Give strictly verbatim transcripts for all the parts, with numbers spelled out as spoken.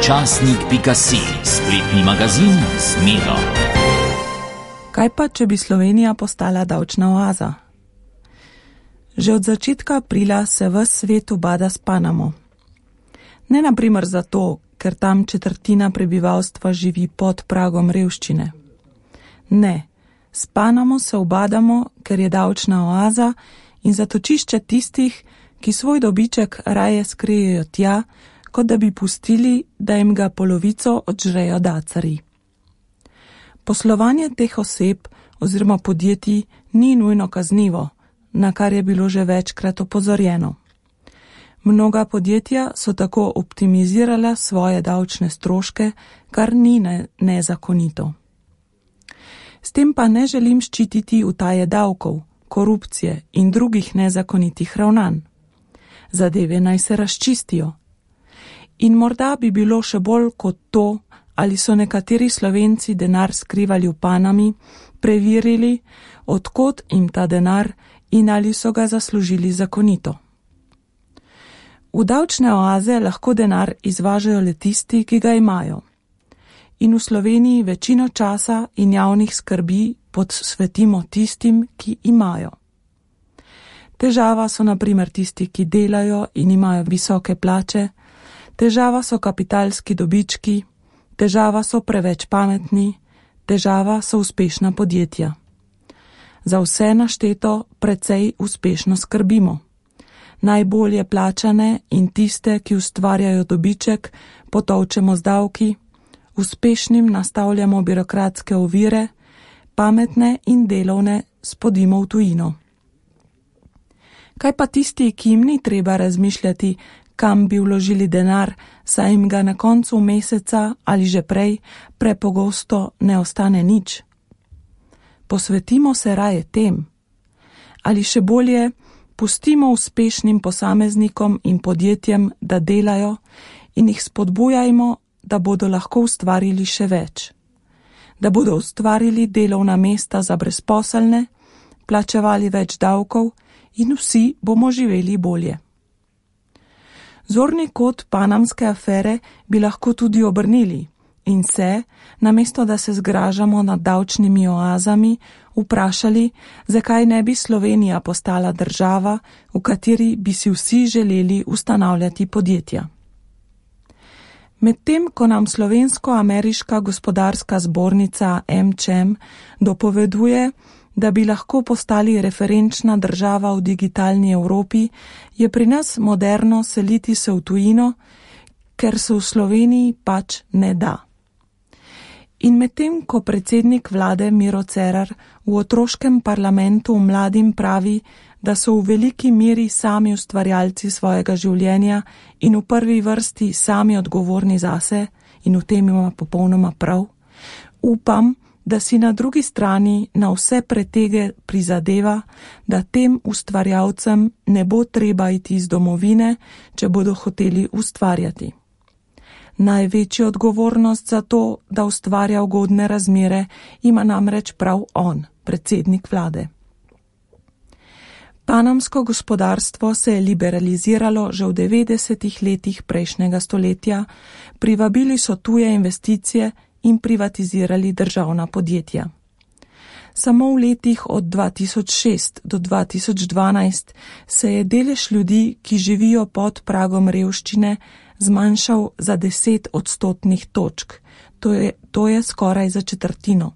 Časnik pika si, spletni magazin z Miro. Kaj pa, če bi Slovenija postala davčna oaza? Že od začetka aprila se ves svet ubada s Panamo. Ne naprimer zato, ker tam četrtina prebivalstva živi pod pragom revščine. Ne, s Panamo se ubadamo, ker je davčna oaza in zatočišče tistih, ki svoj dobiček raje skrijejo tja, kot da bi pustili, da jim ga polovico odžrejo dacarji. Poslovanje teh oseb oziroma podjetij ni nujno kaznivo, na kar je bilo že večkrat opozorjeno. Mnoga podjetja so tako optimizirala svoje davčne stroške, kar ni ne, nezakonito. S tem pa ne želim ščititi utaje davkov, korupcije in drugih nezakonitih ravnanj. Zadeve naj se razčistijo. In morda bi bilo še bolj kot to, ali so nekateri Slovenci denar skrivali v Panami, preverili, odkot jim ta denar in ali so ga zaslužili zakonito. V davčne oaze lahko denar izvažajo le tisti, ki ga imajo. In v Sloveniji večino časa in javnih skrbi posvetimo tistim, ki imajo. Težava so na primer tisti, ki delajo in imajo visoke plače, težava so kapitalski dobički, težava so preveč pametni, težava so uspešna podjetja. Za vse našteto precej uspešno skrbimo. Najbolje plačane in tiste, ki ustvarjajo dobiček, potolčemo z davki, uspešnim nastavljamo birokratske ovire, pametne in delovne spodimo v tujino. Kaj pa tisti, ki jim ni treba razmišljati, kam bi vložili denar, saj jim ga na koncu meseca ali že prej prepogosto ne ostane nič? Posvetimo se raje tem. Ali še bolje, pustimo uspešnim posameznikom in podjetjem, da delajo in jih spodbujajmo, da bodo lahko ustvarili še več. Da bodo ustvarili delovna mesta za brezposelne, plačevali več davkov in vsi bomo živeli bolje. Zorni kot panamske afere bi lahko tudi obrnili in se, namesto da se zgražamo nad davčnimi oazami, vprašali, zakaj ne bi Slovenija postala država, v kateri bi si vsi želeli ustanavljati podjetja. Medtem, ko nam Slovensko-ameriška gospodarska zbornica em če em dopoveduje, da bi lahko postali referenčna država v digitalni Evropi, je pri nas moderno seliti se v tujino, ker se v Sloveniji pač ne da. In medtem, ko predsednik vlade Miro Cerar v otroškem parlamentu mladim pravi, da so v veliki meri sami ustvarjalci svojega življenja in v prvi vrsti sami odgovorni zase, in v tem ima popolnoma prav, upam, da si na drugi strani na vse pretege prizadeva, da tem ustvarjalcem ne bo treba iti iz domovine, če bodo hoteli ustvarjati. Največjo odgovornost za to, da ustvarja ugodne razmere, ima namreč prav on, predsednik vlade. Panamsko gospodarstvo se je liberaliziralo že v devetdesetih letih prejšnjega stoletja, privabili so tuje investicije in privatizirali državna podjetja. Samo v letih od dva tisoč šest do dva tisoč dvanajst se je delež ljudi, ki živijo pod pragom revščine, zmanjšal za deset odstotnih točk, to je, to je skoraj za četrtino.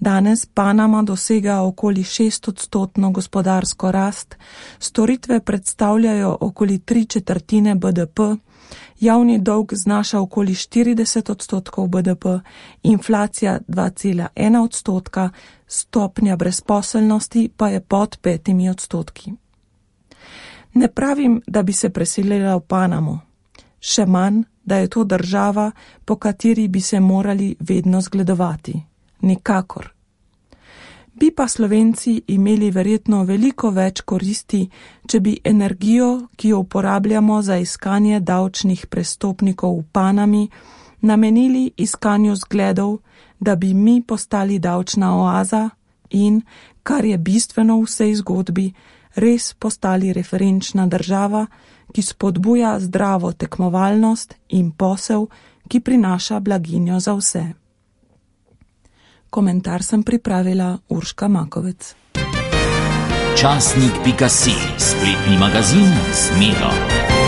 Danes Panama dosega okoli šest odstotno gospodarsko rast, storitve predstavljajo okoli tri četrtine be de pe, javni dolg znaša okoli štirideset odstotkov be de pe, inflacija dva cela ena odstotka, stopnja brezposelnosti pa je pod petimi odstotki. Ne pravim, da bi se preselila v Panamo, še manj, da je to država, po kateri bi se morali vedno zgledovati. Nikakor. Bi pa Slovenci imeli verjetno veliko več koristi, če bi energijo, ki jo uporabljamo za iskanje davčnih prestopnikov v Panami, namenili iskanju zgledov, da bi mi postali davčna oaza in, kar je bistveno v vsej zgodbi, res postali referenčna država, ki spodbuja zdravo tekmovalnost in posel, ki prinaša blaginjo za vse. Komentar sem pripravila Urška Makovec. Časnik pika si, spletni magazin z Miro.